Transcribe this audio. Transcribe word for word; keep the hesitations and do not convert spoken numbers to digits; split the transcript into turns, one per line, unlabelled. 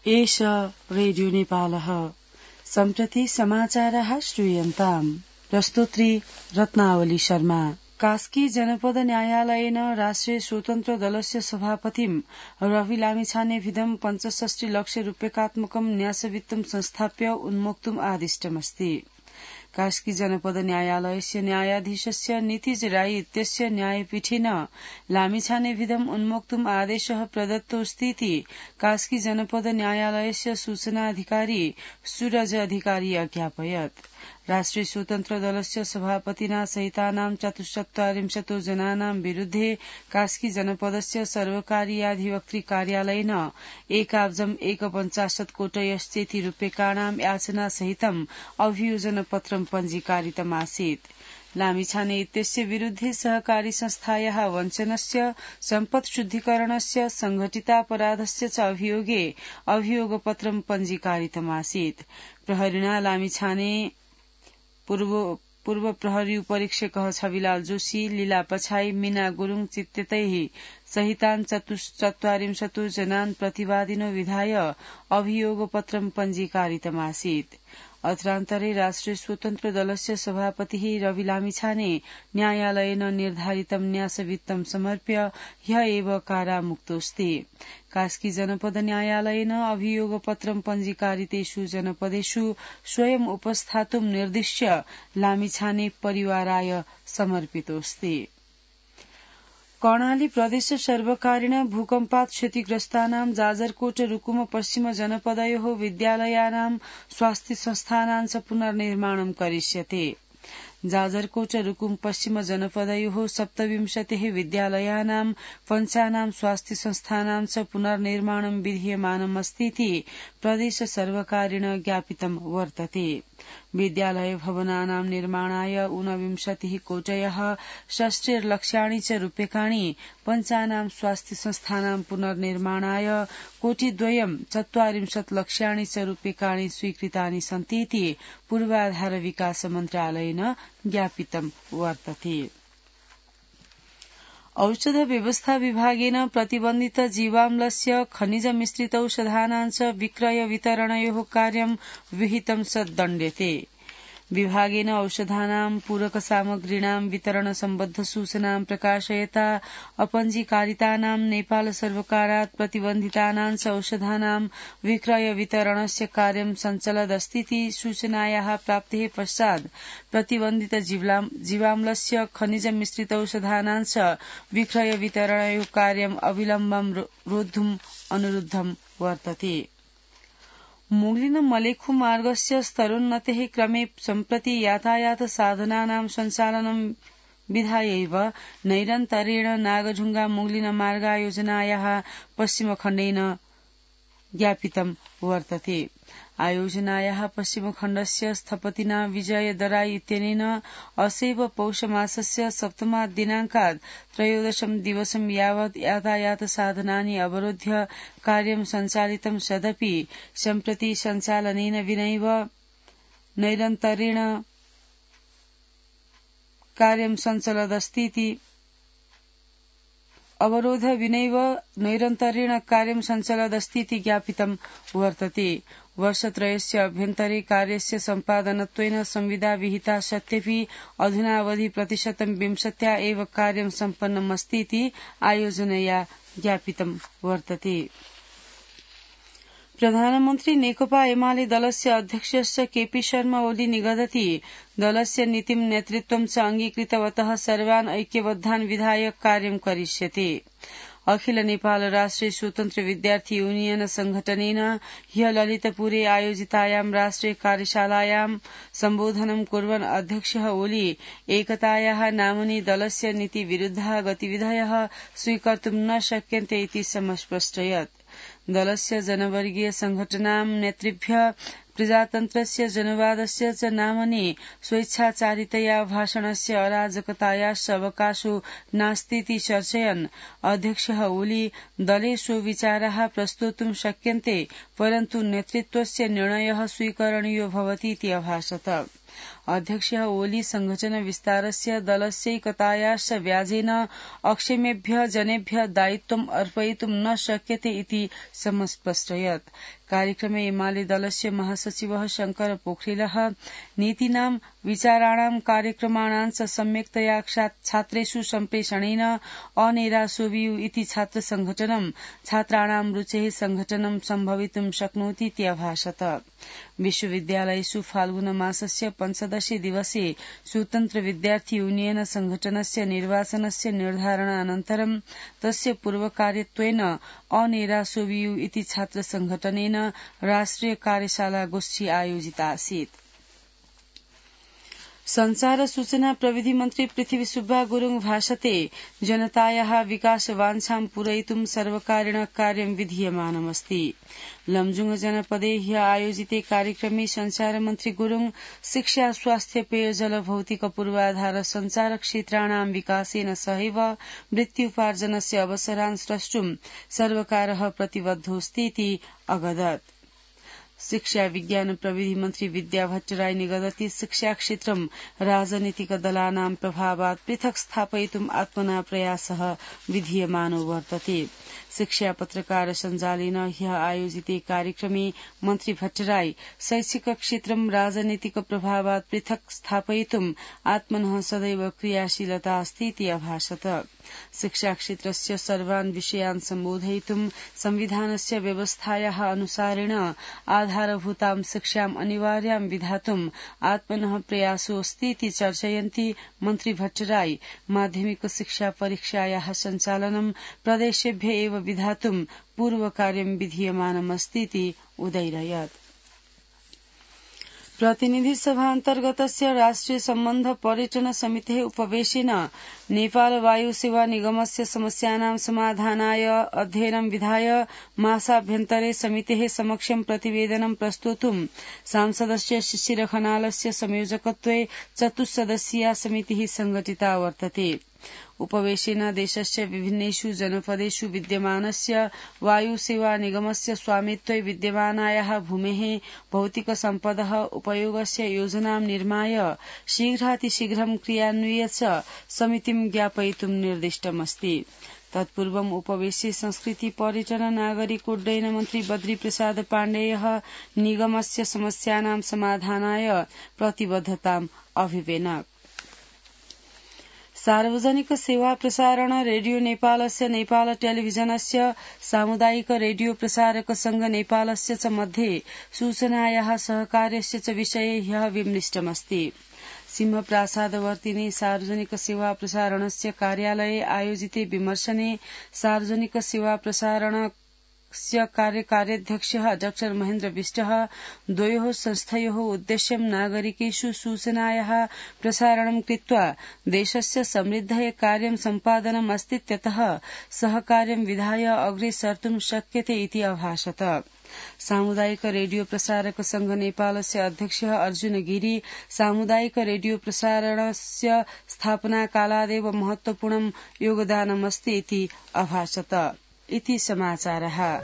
एष रेडियो नेपालः सम्प्रति समाचारः श्रूयन्ताम्। प्रस्तुत्री रत्नावली शर्मा। कास्की जनपद न्यायालयेन राष्ट्रिय स्वतन्त्र दलस्य सभापतिं रवि लामिछानेभिदं पञ्चषष्टि लक्ष रूप्यकात्मकं न्यासवित्तं संस्थाप्य उन्मोक्तुम् आदिष्टमस्ति। कास्की जनपद न्यायालयस्य न्यायाधीशस्य नितिज राई इत्यस्य न्यायपीठेन लामिछानेभिदम् उन्मोक्तुम् आदेशः प्रदत्तोऽस्तीति कास्की जनपद न्यायालयस्य सूचनाधिकारी सूरज अधिकारी अज्ञापयत्। राष्ट्रिय स्वतन्त्र दलस्य सभापतिना सहितानां चतुश्चत्वारिंशतो जनानां विरुद्धे कास्की जनपदस्य सर्वकारीयाधिवक्तृ कार्यालयेन एकाब्जम् एकपञ्चाशत् कोटयश्चेति रूप्यकाणां याचना सहितम् अभियोजन पत्रं पञ्जीकारितमासीत्। लामिछाने इत्यस्य विरुद्धे सहकारी संस्थायाः वञ्चनस्य सम्पत् शुद्धिकरणस्य संघटितापराधस्य च अभियोगे अभियोगपत्रं पञ्जीकारितमासीत्। प्रहरिणा लामिछाने पूर्व पूर्व प्रहरी उपरीक्षकः छविलाल जोशी, लीला पछाई, मीना गुरुङ चित्ततैः सहितान् चतुश्चत्वारिंशतो जनान् प्रतिवादिनो विधाय अभियोगपत्रं पञ्जीकारितमासीत्। अत्रान्तरे राष्ट्रिय स्वतन्त्र दलस्य सभापतिः रवि लामिछाने न्यायालयेन निर्धारितं न्यासवित्तं समर्प्य ह्य एव कारामुक्तोऽस्ति। कास्की जनपद न्यायालयेन अभियोगपत्रं पञ्जीकारितेषु जनपदेषु स्वयं उपस्थातुं निर्दिश्य लामिछाने परिवाराय समर्पितोऽस्ति। कर्णाली प्रदेश सर्वकारेण भूकम्पात् क्षतिग्रस्तानां जाजरकोट रुकुम पश्चिम जनपदयोः विद्यालयानां स्वास्थ्य संस्थानां च पुनर्निर्माणं करिष्यते। जाजरकोट रुकुम पश्चिम जनपदयोः सप्तविंशतिः विद्यालयानां पञ्चानां स्वास्थ्य संस्थानां च पुनर्निर्माणं विधीयमानमस्तीति प्रदेश सर्वकारेण ज्ञापितं वर्तते। विद्यालय भवनानां निर्माणाय ऊनविंशतिः कोटयः षष्टिर्लक्षाणि च रूप्यकाणि, पञ्चानां स्वास्थ्य संस्थानां पुनर्निर्माणाय कोटिद्वयं चत्वारिंशत् लक्ष्याणि च रूप्यकाणि स्वीकृतानि सन्तीति पूर्वाधार विकास मन्त्रालयेन ज्ञापितं वर्तते। औषध व्यवस्था विभागेन प्रतिबन्धित जीवाम्लस्य खनिज मिश्रितौषधानां च विक्रय वितरणयोः कार्यं विहितं च दण्ड्यते। विभागेन औषधानां पूरक सामग्रीणां वितरण सम्बद्ध सूचनां प्रकाशयता अपञ्जीकारितानां नेपाल सर्वकारात् प्रतिबन्धितानां च औषधानां विक्रय वितरणस्य कार्यं सञ्चलदस्तीति सूचनायाः प्राप्तेः पश्चात् प्रतिबन्धित जीवाम्लस्य खनिज मिश्रितौषधानां च विक्रय वितरणयोः कार्यम् अविलम्बं रोद्धुम् अनुरुद्धं वर्तते। मुगलिन मलेखु मार्गस्य स्तरोन्नतेः क्रमे सम्प्रति यातायात साधनानां सञ्चालनं विधायैव नैरन्तरेण नागढुङ्गा मुगलिन मार्गायोजनायाः पश्चिमखण्डेन ज्ञापितं वर्तते। आयोजनायाः पश्चिमखण्डस्य स्थपतिना विजय दराई इत्यनेन असैव पौषमासस्य सप्तमात् दिनाङ्कात् त्रयोदशं दिवसं यावत् यातायात साधनानि अवरोध्य कार्यं सञ्चालितं सदपि सम्प्रति सञ्चालनेन विनैव नैरन्तरेण कार्यं सञ्चलदस्तीति अवरोध विनैव नैरन्तरेण कार्यं सञ्चलदस्तीति ज्ञापितं वर्तते। वर्षत्रयस्य अभ्यन्तरे कार्यस्य सम्पादनत्वेन संविदा विहिता सत्यपि अधुनावधि प्रतिशतं विंशत्या एव कार्यं सम्पन्नमस्तीति आयोजनया ज्ञापितं वर्तते। प्रधानमन्त्री नेकपा एमाले दलस्य अध्यक्षस्य केपी शर्मा ओली निगदति दलस्य नीतिं नेतृत्वं च अङ्गीकृतवतः सर्वान् ऐक्यबद्धान् विधाय कार्यं करिष्यते। अखिल नेपाल राष्ट्रिय स्वतन्त्र विद्यार्थी यूनियन संघटनेन ह्य ललितपुरे आयोजितायां राष्ट्रिय कार्यशालायां सम्बोधनं कुर्वन् अध्यक्षः ओली एकतायाः नाम्नि दलस्य नीति विरुद्धः गतिविधयः स्वीकर्तुं न शक्यन्ते इति समस्पष्टयत्। दलस्य जनवर्गीय संघटनां नेतृभ्य प्रजातन्त्रस्य जनवादस्य च नाम्नि स्वेच्छाचारितया भाषणस्य अराजकतायाश्च अवकाशो नास्तीति चर्चयन् अध्यक्षः ओली दले स्वविचाराः प्रस्तोतुं शक्यन्ते परन्तु नेतृत्वस्य निर्णयः स्वीकरणीयो भवतीति अभाषत। अध्यक्षः ओली संघटन विस्तारस्य दलस्यैकतायाश्च व्याजेन अक्षमेभ्यः जनेभ्यः दायित्वम् अर्पयितुं न शक्यते इति समस्पष्टयत्। कार्यक्रमे एमाले दलस्य महासचिवः शंकर पोखरिलः नीतीनां विचाराणां कार्यक्रमाणां च सम्यक्तया छात्रेषु सम्प्रेषणेन अनेरासोवियु इति छात्र संघटनं छात्राणां रुचेः संघटनं सम्भवितुं शक्नोति इति अभाषत। विश्वविद्यालयेषु फाल्गुन मासस्य पञ्चदशे दिवसे स्वतन्त्र विद्यार्थी यूनियन संघटनस्य निर्वाचनस्य निर्धारणानन्तरं तस्य पूर्वकार्यत्वेन अनेरासोवियु इति छात्र संघटनेन राष्ट्रिय कार्यशाला गोष्ठी आयोजिता आसीत्। संचार सूचना प्रविधि मन्त्री पृथ्वी सुब्बा गुरुङ भाषते जनतायाः विकासवाञ्छां पूरयितुं सर्वकारेण कार्यं विधीयमानमस्ति। लमजुङ जनपदे ह्य आयोजिते कार्यक्रमे संचार मन्त्री गुरुङ शिक्षा स्वास्थ्य पेयजल भौतिक पूर्वाधार संचार क्षेत्राणां विकासेन सहैव वृत्त्युपार्जनस्य अवसरान् स्रष्टुं सर्वकारः प्रतिबद्धोऽस्ति इति अगदत्। शिक्षा विज्ञान प्रविधि मन्त्री विद्या भट्टराई निगदति शिक्षा क्षेत्रं राजनीतिक दलानां प्रभावात् पृथक् स्थापयितुम् आत्मना प्रयासः विधीयमानो वर्तते। शिक्षा पत्रकार सञ्जालेन ह्यः आयोजिते कार्यक्रमे मन्त्री भट्टराई शैक्षिक क्षेत्रं राजनीतिक प्रभावात् पृथक् स्थापयितुम् आत्मनः सदैव क्रियाशीलता अस्ति इति अभाषत। शिक्षा क्षेत्रस्य सर्वान् विषयान् सम्बोधयितुं संविधानस्य व्यवस्थायाः अनुसारेण आधारभूतां शिक्षाम् अनिवार्यां विधातुम् आत्मनः प्रयासोऽस्ति इति चर्चयन्ती मन्त्री भट्टराई माध्यमिक शिक्षा परीक्षायाः सञ्चालनं प्रदेशेभ्य एव विधातुं पूर्वकार्यं विधीयमानमस्ति इति उदैरयत्। प्रतिनिधि सभा अन्तर्गतस्य राष्ट्रिय सम्बन्ध पर्यटन समितेः उपवेशेन नेपाल वायु सेवा निगमस्य समस्यानां समाधानाय अध्ययनं विधाय मासाभ्यन्तरे समितेः समक्षं प्रतिवेदनं प्रस्तोतुं सांसदस्य शिशिर खनालस्य संयोजकत्वे चतुस्सदस्यीया समितिः संघटिता वर्तते। उपवेशेन देशस्य विभिन्नेषु जनपदेषु विद्यमानस्य वायु सेवा निगमस्य स्वामित्वे विद्यमानायाः भूमेः भौतिक सम्पदः उपयोगस्य योजनां निर्माय शीघ्रातिशीघ्रं क्रियान्वये च समितिं ज्ञापयितुं निर्दिष्टमस्ति। तत्पूर्वम् उपवेशे संस्कृति पर्यटन नागरिक उड्डयन मन्त्री बद्री प्रसाद पाण्डेयः निगमस्य समस्यानां समाधानाय प्रतिबद्धताम् अभिवेनक। सार्वजनिक सेवा प्रसारण रेडियो नेपालस्य नेपाल टेलिभिजनस्य सामुदायिक रेडियो प्रसारक संघ नेपालस्य च मध्ये सूचनायाः सहकार्यस्य च विषये ह्यः विमृष्टमस्ति। सिंहप्रासादवर्तिने सार्वजनिक सेवा प्रसारणस्य कार्यालये आयोजिते विमर्शने सार्वजनिक सेवा प्रसारण कार्यकार्याध्यक्षः डॉक्टर महेन्द्र विष्टः द्वयोः संस्थयोः उद्देश्यं नागरिकेषु सूचनायाः प्रसारणं कृत्वा देशस्य समृद्धये कार्यं सम्पादनम् अस्तीत्यतः सहकार्यं विधाय अग्रे सर्तुं शक्यते इति अभाषत। सामुदायिक रेडियो प्रसारक संघ नेपालस्य अध्यक्षः अर्जुन गिरी सामुदायिक रेडियो प्रसारणस्य स्थापनाकालादेव महत्वपूर्णं योगदानमस्ति इति अभाषत। इति समाचारः।